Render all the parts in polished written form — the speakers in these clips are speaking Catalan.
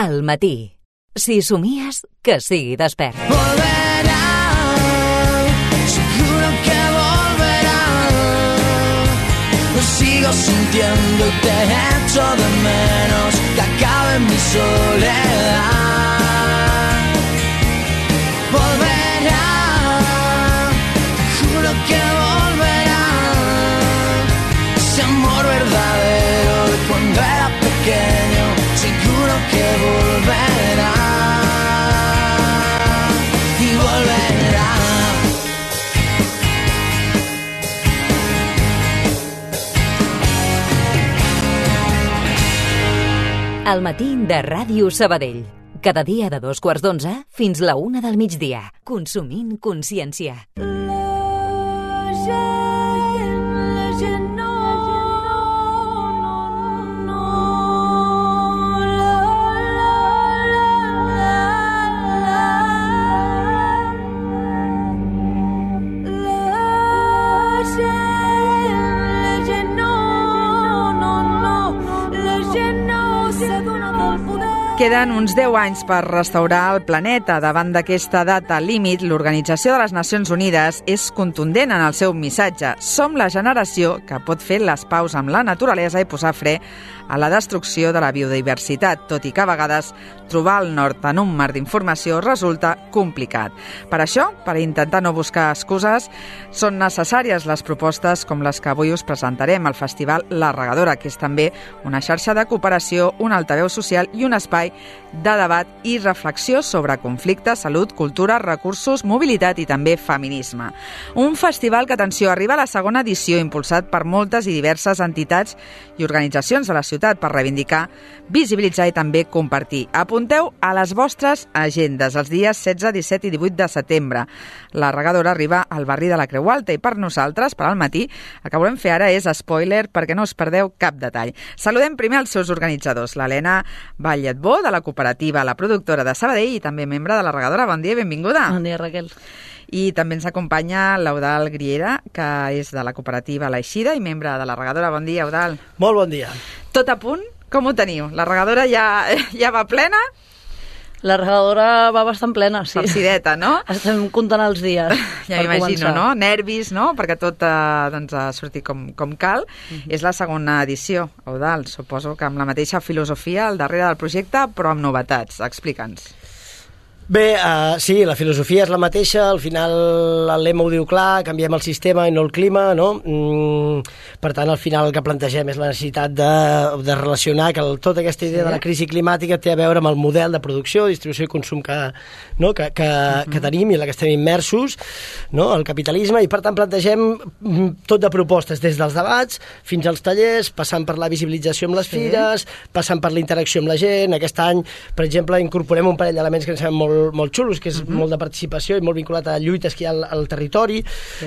Al matí. Si somies, que sigui despert. Volverá, seguro que volverá. Lo sigo sintiendo y te echo de menos. Que acabe mi soledad. Volverá, juro que volverá. Ese amor verdadero de cuando era pequeño, seguro que volverá. Y volverá. Al matí de Ràdio Sabadell. Cada dia de 2:15 fins la 1 del migdia. Consumint consciència. Queden uns 10 anys per restaurar el planeta. Davant d'aquesta data límit, l'Organització de les Nacions Unides és contundent en el seu missatge. Som la generació que pot fer les paus amb la naturalesa i posar fre a la destrucció de la biodiversitat, tot i que a vegades trobar el nord en un mar d'informació resulta complicat. Per això, per intentar no buscar excuses, són necessàries les propostes com les que avui us presentarem al Festival La Regadora, que és també una xarxa de cooperació, un altaveu social i un espai de debat i reflexió sobre conflicte, salut, cultura, recursos, mobilitat i també feminisme. Un festival que, atenció, arriba a la segona edició, impulsat per moltes i diverses entitats i organitzacions de la ciutat per reivindicar, visibilitzar i també compartir. Apunteu a les vostres agendes els dies 16, 17 i 18 de setembre. La Regadora arriba al barri de la Creu Alta i per nosaltres, per al matí, el que volem fer ara és spoiler perquè no us perdeu cap detall. Saludem primer els seus organitzadors, l'Helena Valletbó, de la cooperativa La Productora de Sabadell i també membre de La Regadora. Bon dia i benvinguda. Bon dia, Raquel. I també ens acompanya l'Eudal Griera, que és de la cooperativa l'Eixida i membre de La Regadora. Bon dia, Eudal. Molt bon dia. Tot a punt? Com ho teniu? La Regadora ja va plena? La regadora va bastant plena, sí. Farcideta, no? Estem comptant els dies. Ja m'imagino, no? Nervis, no? Perquè tot ha sortit com cal. És la segona edició, Eudal. Suposo que amb la mateixa filosofia al darrere del projecte, però amb novetats. Explica'ns. Bé, sí, la filosofia és la mateixa, al final el lema ho diu clar, canviem el sistema i no el clima, no? Per tant, al final el que plantegem és la necessitat de relacionar que tota aquesta idea de la crisi climàtica té a veure amb el model de producció, distribució i consum que tenim i en la que estem immersos, no? El capitalisme, i per tant plantegem tot de propostes, des dels debats fins als tallers, passant per la visibilització amb les fires, passant per la interacció amb la gent. Aquest any, per exemple, incorporem un parell d'elements que ens semblen molt xulos, que és molt de participació i molt vinculat a lluites que hi ha al territori,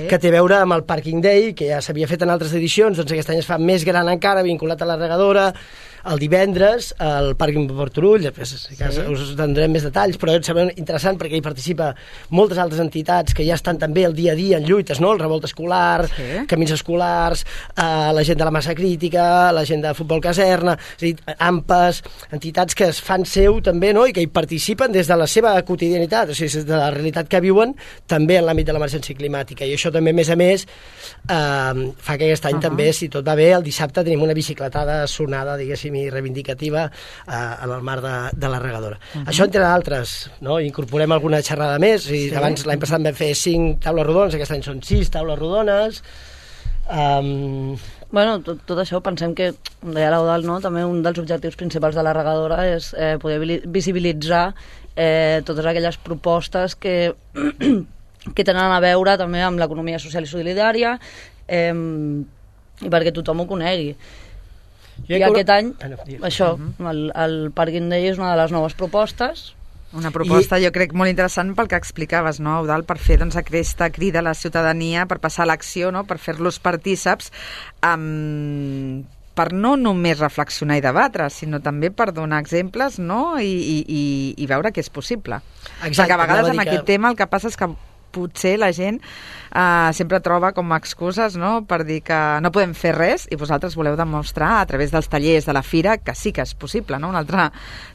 que té a veure amb el Parking Day, que ja s'havia fet en altres edicions, doncs aquest any es fa més gran encara, vinculat a la Regadora. El divendres, al Pàrquing Port Turull, després us donarem més detalls, però em sembla interessant perquè hi participa moltes altres entitats que ja estan també el dia a dia en lluites, no? El Revolta Escolar, Camins Escolars, la gent de la Massa Crítica, la gent de Futbol Caserna, és a dir, AMPAs, entitats que es fan seu també, no? I que hi participen des de la seva quotidianitat, o sigui, des de la realitat que viuen, també en l'àmbit de l'emergència climàtica. I això també, a més, fa que aquest any també, si tot va bé, el dissabte tenim una bicicletada sonada, diguéssim, i reivindicativa en el mar de la Regadora. Això, entre d'altres, no? Incorporem alguna xerrada més, i abans l'any passat vam fer 5 taules rodones, aquest any són 6 taules rodones. Bueno, tot això pensem que, com deia l'Eudal, no? També un dels objectius principals de la Regadora és poder visibilitzar totes aquelles propostes que tenen a veure també amb l'economia social i solidària, i perquè tothom ho conegui. I aquest any, això, el Parking Day és una de les noves propostes. Una proposta, jo crec, molt interessant pel que explicaves, no, Eudal, per fer aquesta crida a la ciutadania, per passar a l'acció, no, per fer-los partíceps, per no només reflexionar i debatre, sinó també per donar exemples, no, i veure que és possible. Exacte, perquè a vegades amb aquest tema el que passa és que potser la gent sempre troba com a excuses, no?, per dir que no podem fer res, i vosaltres voleu demostrar a través dels tallers de la fira que sí que és possible, no?, un altre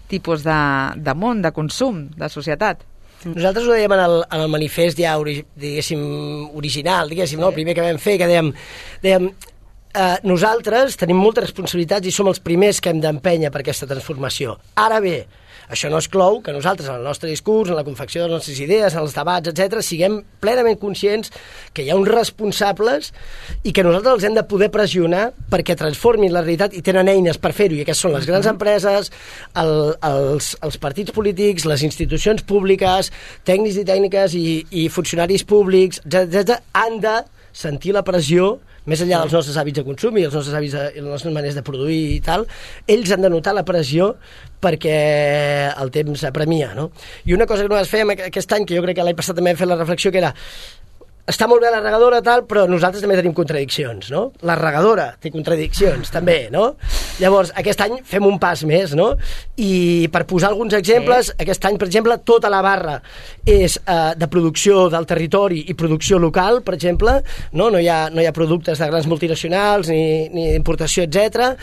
tipus de món, de consum, de societat. Nosaltres ho dèiem en el manifest ja, diguéssim, original, diguéssim, no? El primer que vam fer, que dèiem nosaltres tenim moltes responsabilitats i som els primers que hem d'empènyer per aquesta transformació. Ara bé, això no exclou que nosaltres, en el nostre discurs, en la confecció de les nostres idees, en els debats, etc., siguem plenament conscients que hi ha uns responsables i que nosaltres els hem de poder pressionar perquè transformin la realitat i tenen eines per fer-ho, i aquestes són les grans empreses, els partits polítics, les institucions públiques, tècnics i tècniques i funcionaris públics, etc., han de sentir la pressió més enllà dels nostres hàbits de consum i els nostres hàbits i les nostres maneres de produir i tal, ells han de notar la pressió perquè el temps apremia, no? I una cosa que nosaltres fèiem aquest any, que jo crec que l'any passat també hem fet la reflexió, que era està molt bé la regadora, tal, però nosaltres també tenim contradiccions, no? La regadora té contradiccions, també, no? Llavors, aquest any fem un pas més, no? I per posar alguns exemples, aquest any, per exemple, tota la barra és de producció del territori i producció local, per exemple, no? No hi ha productes de grans multinacionals ni d'importació, etc.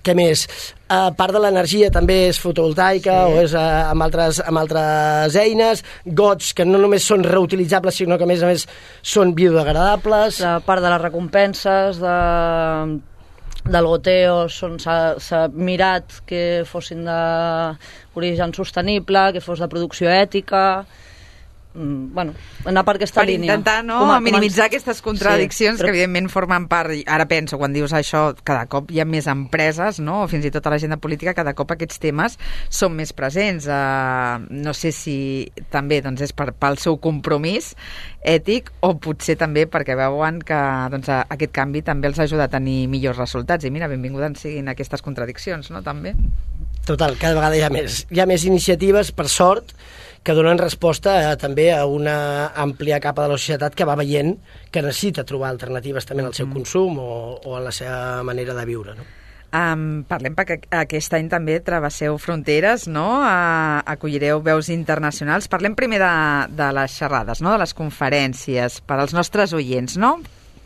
Què més? Part de l'energia també és fotovoltaica o és amb altres eines, gots que no només són reutilitzables sinó que a més són biodegradables. La part de les recompenses del goteo s'ha mirat que fossin d'origen sostenible, que fos de producció ètica, bueno, anar per aquesta línia. Per intentar minimitzar aquestes contradiccions, que evidentment formen part, ara penso, quan dius això, cada cop hi ha més empreses, no? O fins i tot a l'agenda política, cada cop aquests temes són més presents. No sé si també és pel seu compromís ètic o potser també perquè veuen que aquest canvi també els ajuda a tenir millors resultats. I mira, benvingudes siguin aquestes contradiccions, no? També. Total, cada vegada hi ha més iniciatives, per sort, que donen resposta també a una àmplia capa de la societat que va veient que necessita trobar alternatives també en el seu consum o en la seva manera de viure, no? Parlem perquè aquest any també travesseu fronteres, no? Acollireu veus internacionals. Parlem primer de les xerrades, no? De les conferències per als nostres oients, no?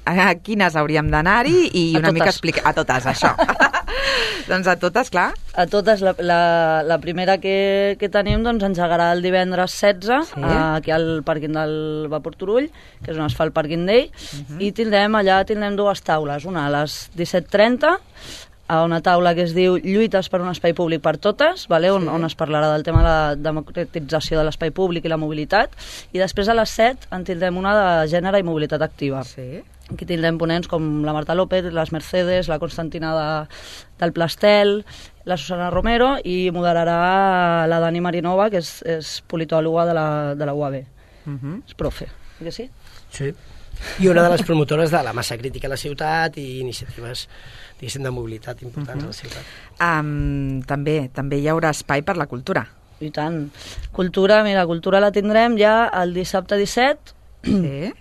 A quines hauríem d'anar-hi i una mica explicar... A totes, això. Doncs a totes, clar. A totes. La primera que tenim engegarà el divendres 16 aquí al pàrquing del Vapor Turull, que és on es fa el Parking Day, i tindrem dues taules, una a les 17:30, a una taula que es diu Lluites per un espai públic per totes, on es parlarà del tema de la democratització de l'espai públic i la mobilitat, i després a les 7 en tindrem una de gènere i mobilitat activa. Aquí tindrem ponents com la Marta López, les Mercedes, la Constantina del Plastel, la Susana Romero, i moderarà la Dani Marinova, que és politòloga de la UAB. És profe, que sí? Sí. I una de les promotores de la massa crítica a la ciutat i iniciatives, diguéssim, de mobilitat importants a la ciutat. També hi haurà espai per la cultura. I tant. Cultura la tindrem ja el dissabte 17,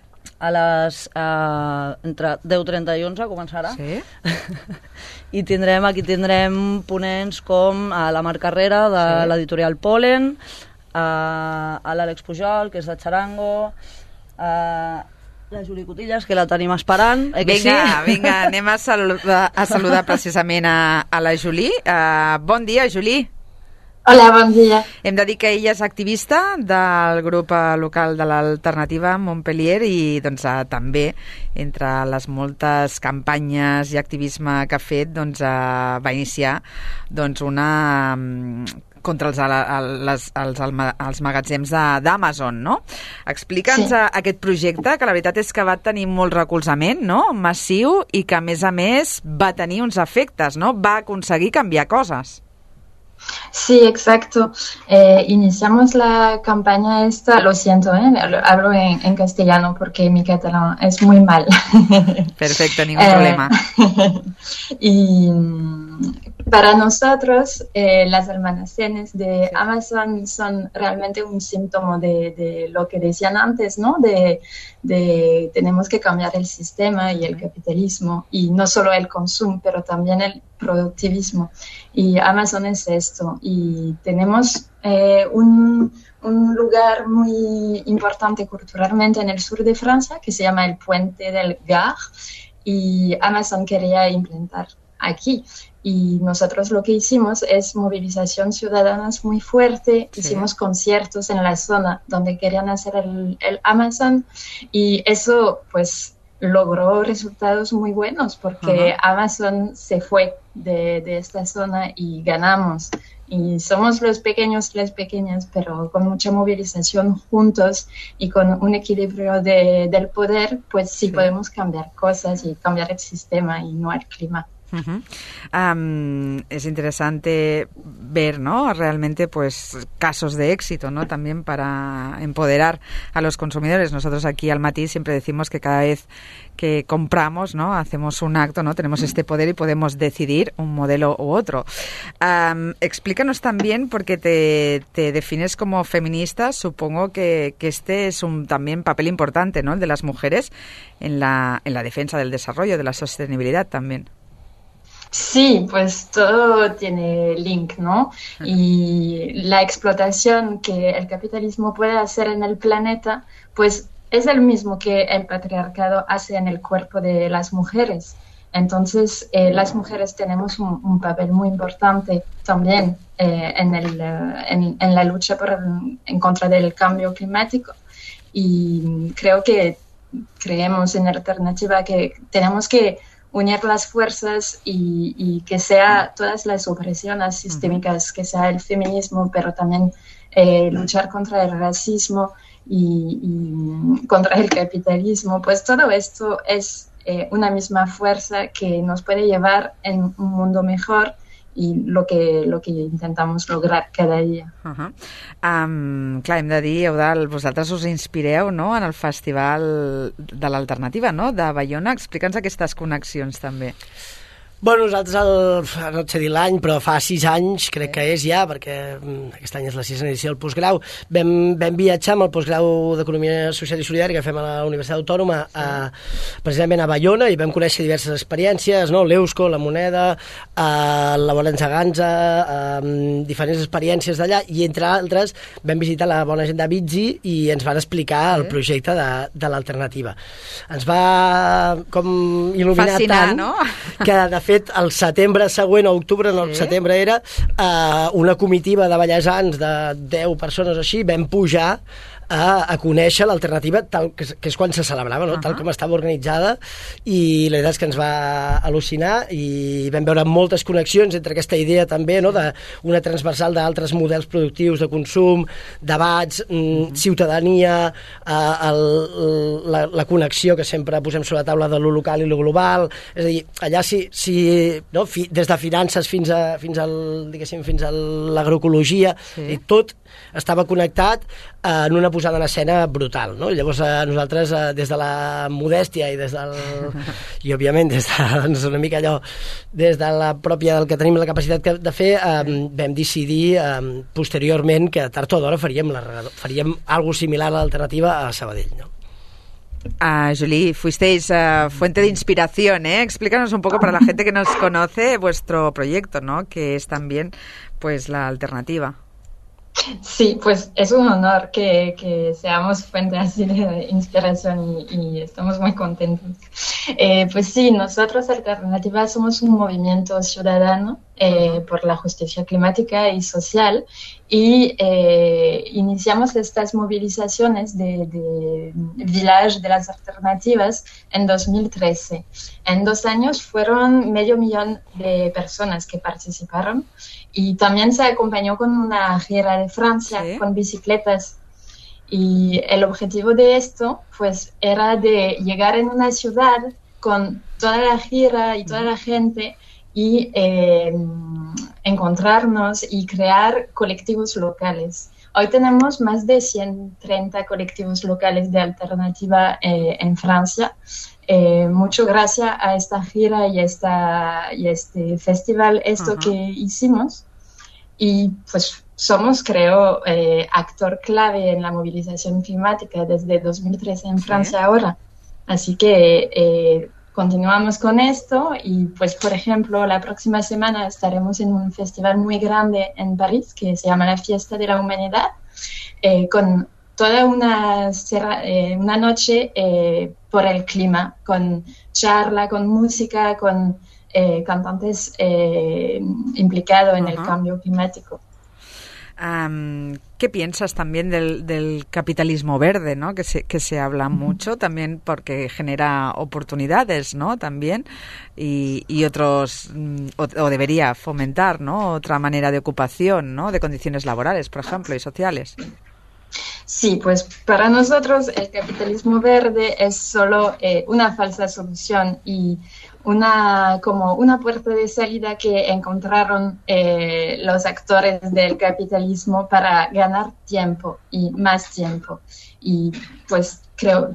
a les entre 10:30 i 11 començarà. I aquí tindrem ponents com la Marc Carrera de l'editorial Polen, l'Àlex Pujol, que és de Charango, la Juli Cotillas, que la tenim esperant. Vinga, anem a saludar precisament a la Juli. Bon dia, Juli. Hola, bon dia. Hem de dir que ella és activista del grup local de l'Alternativa Montpellier i també entre les moltes campanyes i activisme que ha fet va iniciar una contra els magatzems d'Amazon, no? Explica'ns aquest projecte, que la veritat és que va tenir molt recolzament, no? Massiu, i que a més va tenir uns efectes, no? Va aconseguir canviar coses. Sí, exacto. Iniciamos la campaña esta, lo siento, hablo en castellano porque mi catalán es muy mal. Perfecto, ningún problema. Y Para nosotros, las almacenes de Amazon son realmente un síntoma de lo que decían antes, ¿no? De tenemos que cambiar el sistema y el capitalismo, y no solo el consumo, pero también el productivismo. Y Amazon es esto. Y tenemos un lugar muy importante culturalmente en el sur de Francia que se llama el Puente del Gard, y Amazon quería implantar aquí. Y nosotros lo que hicimos es movilización ciudadana muy fuerte. Sí. Hicimos conciertos en la zona donde querían hacer el Amazon, y eso pues logró resultados muy buenos porque Amazon se fue de esta zona y ganamos. Y somos los pequeños, las pequeñas, pero con mucha movilización juntos y con un equilibrio del poder, pues sí podemos cambiar cosas y cambiar el sistema y no el clima. Es interesante ver, ¿no?, realmente pues casos de éxito, ¿no?, también para empoderar a los consumidores. Nosotros aquí al Matí siempre decimos que cada vez que compramos, ¿no?, hacemos un acto, ¿no?, tenemos este poder y podemos decidir un modelo u otro. Explícanos también, porque te defines como feminista, supongo que este es un también papel importante, ¿no?, el de las mujeres en la defensa del desarrollo, de la sostenibilidad también. Sí, pues todo tiene link, ¿no? Y la explotación que el capitalismo puede hacer en el planeta, pues es el mismo que el patriarcado hace en el cuerpo de las mujeres. Entonces, las mujeres tenemos un papel muy importante también en la lucha en contra del cambio climático. Y creemos en Alternativa que tenemos que unir las fuerzas y que sea todas las opresiones sistémicas, que sea el feminismo, pero también luchar contra el racismo y contra el capitalismo. Pues todo esto es una misma fuerza que nos puede llevar en un mundo mejor, i lo que intentamos lograr cada dia. Clar, hem de dir, Eudald, vosaltres us inspireu, no?, en el Festival de l'Alternativa, no?, de Baiona. Explica'ns aquestes connexions també. Bueno, nosaltres, no sé dir l'any, però fa 6 anys, crec que és ja, perquè aquest any és la 6a edició del postgrau, vam viatjar amb el postgrau d'Economia Social i Solidària que fem a la Universitat Autònoma, precisament a Baiona, i vam conèixer diverses experiències, no? L'Eusko, la Moneda, la Bolenza Ganza, diferents experiències d'allà, i entre altres vam visitar la bona gent de Bizzi i ens van explicar el projecte de l'Alternativa. Ens va com il·luminar fascinar, tant, no? Que de fet el setembre següent, o octubre, no, el setembre era, una comitiva de ballesans de 10 persones o així, vam pujar a conèixer l'Alternativa, que és quan se celebrava, no? Tal com estava organitzada, i la veritat és que ens va al·lucinar i vam veure moltes connexions entre aquesta idea també, no?, d'una transversal d'altres models productius de consum, debats, ciutadania, la connexió que sempre posem sobre la taula de lo local i lo global. És a dir, allà no? Des de finances fins a l'agroecologia, i tot estava connectat en una posada en escena brutal, no? Llavors nosaltres des de la modèstia i i òbviament des de, doncs, una mica allò, des de la pròpia del que tenim la capacitat de fer, vam decidir posteriorment que tard o d'hora faríem algo similar a l'Alternativa a Sabadell, no? Julie, fuisteis fuente de inspiración, ¿eh? Explícanos un poco para la gente que nos conoce vuestro proyecto, ¿no?, que es también pues la Alternativa. Sí, pues es un honor que seamos fuente así de inspiración y estamos muy contentos. Pues sí, nosotros Alternativa somos un movimiento ciudadano por la justicia climática y social, y iniciamos estas movilizaciones de Village de las Alternativas en 2013. En 2 años fueron 500,000 de personas que participaron, y también se acompañó con una gira de Francia con bicicletas. Y el objetivo de esto pues era de llegar en una ciudad con toda la gira y toda la gente y encontrarnos y crear colectivos locales. Hoy tenemos más de 130 colectivos locales de Alternativa en Francia, mucho gracias a esta gira y este festival, que hicimos. Y pues somos, creo, actor clave en la movilización climática desde 2013 en Francia ahora. Así que continuamos con esto y, pues, por ejemplo, la próxima semana estaremos en un festival muy grande en París que se llama la Fiesta de la Humanidad, con toda una noche por el clima, con charla, con música, con cantantes implicados en el cambio climático. ¿Qué piensas también del capitalismo verde, ¿no? Que se habla mucho también porque genera oportunidades, ¿no? También y otros o debería fomentar, ¿no? Otra manera de ocupación, ¿no? De condiciones laborales, por ejemplo, y sociales. Sí, pues para nosotros el capitalismo verde es solo una falsa solución y como una puerta de salida que encontraron los actores del capitalismo para ganar tiempo y más tiempo. Y pues creo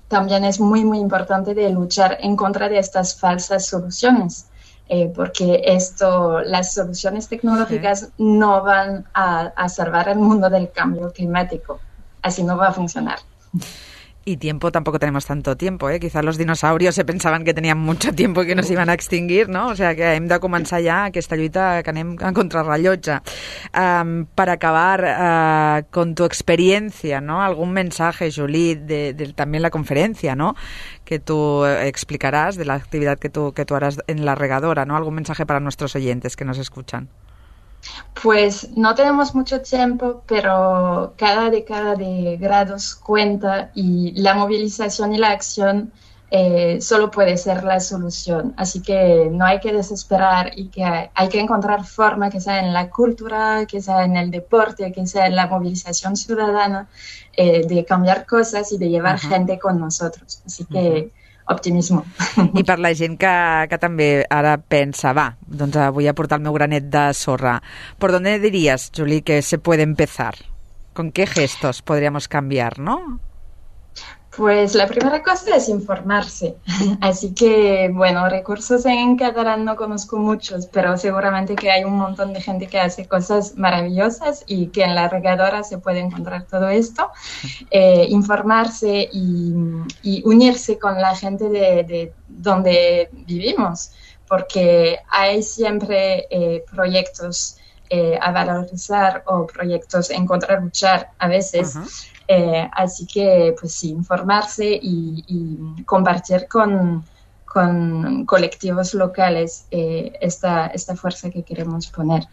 también es muy, muy importante de luchar en contra de estas falsas soluciones. Porque las soluciones tecnológicas no van a salvar el mundo del cambio climático. Así no va a funcionar. Y tiempo, tampoco tenemos tanto tiempo, ¿eh? Quizás los dinosaurios se pensaven que tenían mucho tiempo i que no s'iban a extingir, no? O sigui que hem de començar ja aquesta lluita que anem a contrarrellotge. Para acabar, con tu experiencia, ¿no? Algún mensaje, Julie, también la conferencia, ¿no? Que tú explicarás de la actividad que tú harás en la regadora, ¿no? Algún mensaje para nuestros oyentes que nos escuchan. Pues no tenemos mucho tiempo, pero cada década de grados cuenta y la movilización y la acción solo puede ser la solución. Así que no hay que desesperar y que hay que encontrar forma, que sea en la cultura, que sea en el deporte, que sea en la movilización ciudadana, de cambiar cosas y de llevar gente con nosotros. Así que optimismo. I per la gent que també ara pensa, doncs vull aportar el meu granet de sorra. ¿Por dónde dirías, Julie, que se puede empezar? ¿Con qué gestos podríamos cambiar, no? Pues la primera cosa es informarse. Así que, bueno, recursos en catalán no conozco muchos, pero seguramente que hay un montón de gente que hace cosas maravillosas y que en la regadora se puede encontrar todo esto. Informarse y unirse con la gente de donde vivimos, porque hay siempre proyectos a valorizar o proyectos en contra luchar a veces. Así que, pues sí, informarse y compartir con colectivos locales esta fuerza que queremos poner.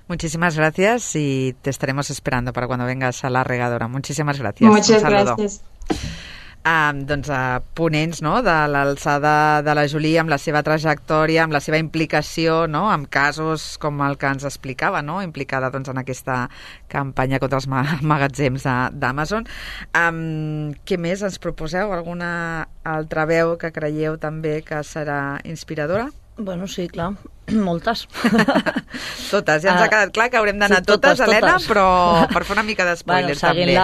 Muchísimas gracias y te estaremos esperando para cuando vengas a la regadora. Muchísimas gracias. Muchas gracias. Doncs ponents, no?, de l'alçada de la Julie, amb la seva trajectòria, amb la seva implicació, no?, amb casos com el que ens explicava, no?, implicada doncs en aquesta campanya contra els magatzems d'Amazon. Què més ens proposeu? Alguna altra veu que creieu també que serà inspiradora? Bueno, sí, clar, moltes. Totes, ja ens ha quedat clar que haurem d'anar sí, totes, Helena, però per fer una mica d'espoiler també.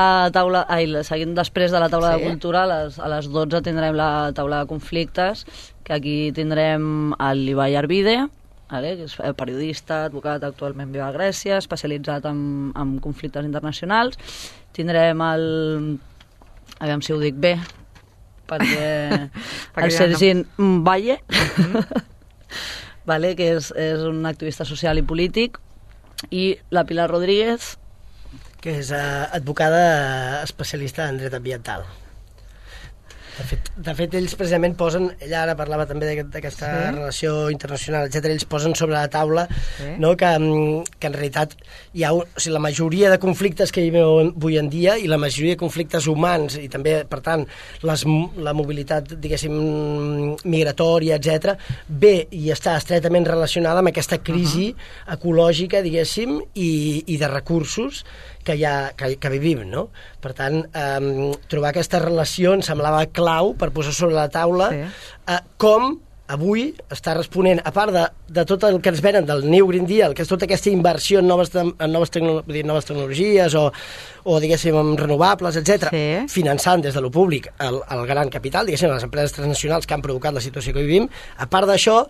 Seguint després de la taula de cultura, a les 12 tindrem la taula de conflictes, que aquí tindrem l'Ibai Arvide, que és periodista, advocat, actualment viu a Grècia, especialitzat en conflictes internacionals. Tindrem aviam si ho dic bé, perquè el Sergi Valle, que és un activista social i polític, i la Pilar Rodríguez, que és advocada especialista en dret ambiental. De fet, ells precisament posen, ella ara parlava també d'aquesta relació internacional, etc. Ells posen sobre la taula no, que en realitat hi ha la majoria de conflictes que hi ha avui en dia i la majoria de conflictes humans i també, per tant, la mobilitat, diguéssim, migratòria, etc., ve i està estretament relacionada amb aquesta crisi ecològica, diguéssim, i de recursos que vivim, no? Per tant, trobar aquesta relació em semblava clau per posar sobre la taula com avui està responent, a part de tot el que ens venen del New Green Deal, que és tota aquesta inversió en noves tecnologies o diguéssim, en renovables, etc., finançant des de lo públic el gran capital, diguéssim, les empreses transnacionals que han provocat la situació que vivim. A part d'això,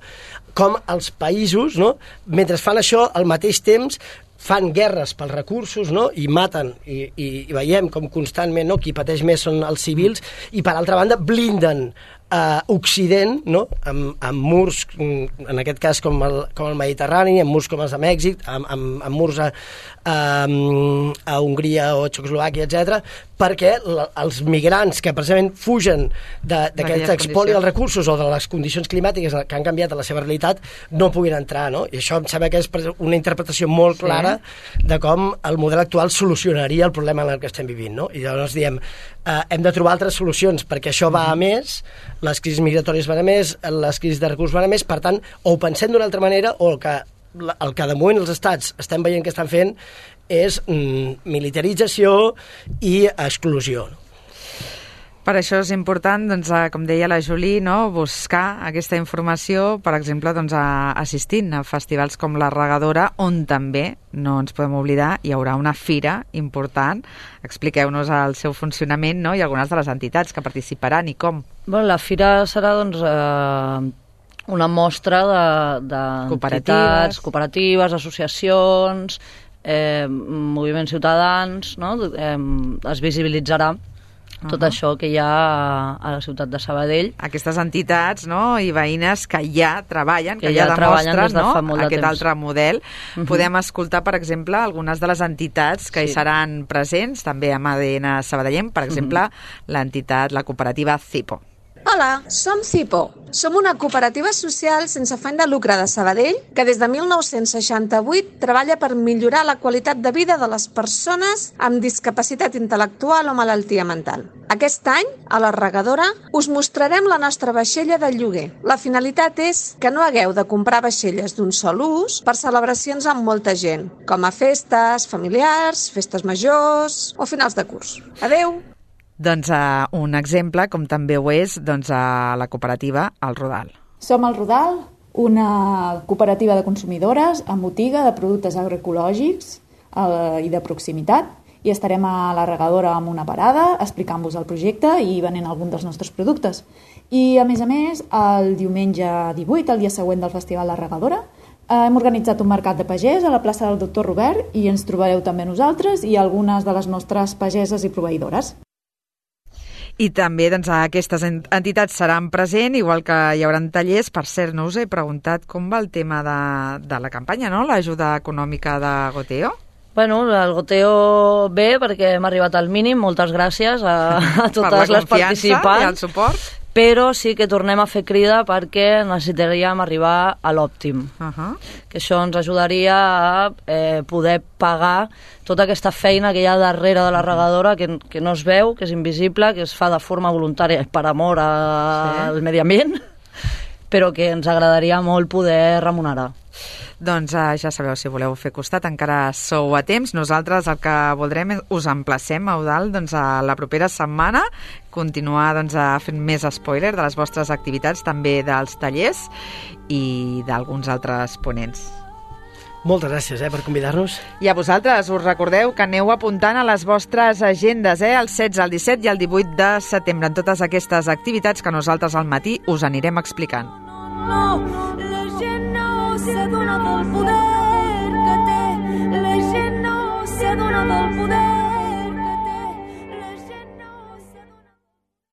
com els països, no, mentre fan això, al mateix temps fan guerres pels recursos, no? I maten, i veiem com constantment, no? Qui pateix més són els civils, i per altra banda blinden Occident, no? amb murs, en aquest cas com el Mediterrani, amb murs com els de Mèxic, amb murs a Hongria o Txecoslovàquia, etc., perquè els migrants que precisament fugen d'aquest expoli dels recursos o de les condicions climàtiques que han canviat la seva realitat no puguin entrar, no? I això em sembla que és una interpretació molt clara de com el model actual solucionaria el problema en el que estem vivint, no? I llavors diem, hem de trobar altres solucions perquè això va a més, les crisis migratòries van a més, les crisis de recursos van a més, per tant, o ho pensem d'una altra manera o el que de moment els estats estem veient que estan fent és militarització i exclusió. Per això és important, doncs, com deia la Juli, no, buscar aquesta informació, per exemple, doncs, assistint a festivals com la Regadora, on també, no ens podem oblidar, hi haurà una fira important. Expliqueu-nos el seu funcionament, no?, i algunes de les entitats que participaran i com. Bueno, la fira serà doncs, una mostra de cooperatives, associacions, moviments ciutadans, no? Es visibilitzarà tot això que hi ha a la ciutat de Sabadell. Aquestes entitats, no?, i veïnes que ja treballen, que ja demostren, no?, aquest altre model. Podem escoltar, per exemple, algunes de les entitats que hi seran presents, també amb ADN sabadellenc, per exemple, l'entitat, la cooperativa Cipo. Hola, som Cipo. Som una cooperativa social sense afany de lucre de Sabadell que des de 1968 treballa per millorar la qualitat de vida de les persones amb discapacitat intel·lectual o malaltia mental. Aquest any, a la Regadora, us mostrarem la nostra vaixella de lloguer. La finalitat és que no hagueu de comprar vaixelles d'un sol ús per celebracions amb molta gent, com a festes familiars, festes majors o finals de curs. Adeu! Doncs un exemple, com també ho és, doncs, a la cooperativa El Rodal. Som El Rodal, una cooperativa de consumidores amb botiga de productes agroecològics i de proximitat, i estarem a la Regadora amb una parada explicant-vos el projecte i venent algun dels nostres productes. I, a més, el diumenge 18, el dia següent del Festival La Regadora, hem organitzat un mercat de pagès a la plaça del Doctor Robert i ens trobareu també nosaltres i algunes de les nostres pageses i proveïdores. I també doncs, aquestes entitats seran presents, igual que hi haurà tallers. Per cert, no us he preguntat com va el tema de la campanya, no? L'ajuda econòmica de Goteo. Bueno, el Goteo bé, perquè hem arribat al mínim. Moltes gràcies a totes les participants. Per la confiança i el suport. Però sí que tornem a fer crida perquè necessitaríem arribar a l'òptim. Que això ens ajudaria a poder pagar tota aquesta feina que hi ha darrere de la Regadora, que no es veu, que és invisible, que es fa de forma voluntària per amor al medi ambient, però que ens agradaria molt poder remunerar. Doncs ja sabeu, si voleu fer costat encara sou a temps. Nosaltres el que voldrem és us emplacem, Eudald, doncs, a la propera setmana, continuar doncs, fent més spoiler de les vostres activitats, també dels tallers i d'alguns altres ponents. Moltes gràcies per convidar-nos. I a vosaltres us recordeu que aneu apuntant a les vostres agendes, el 16, el 17 i el 18 de setembre, en totes aquestes activitats que nosaltres al matí us anirem explicant. La gent no s'adona del poder que té, la gent no s'adona del poder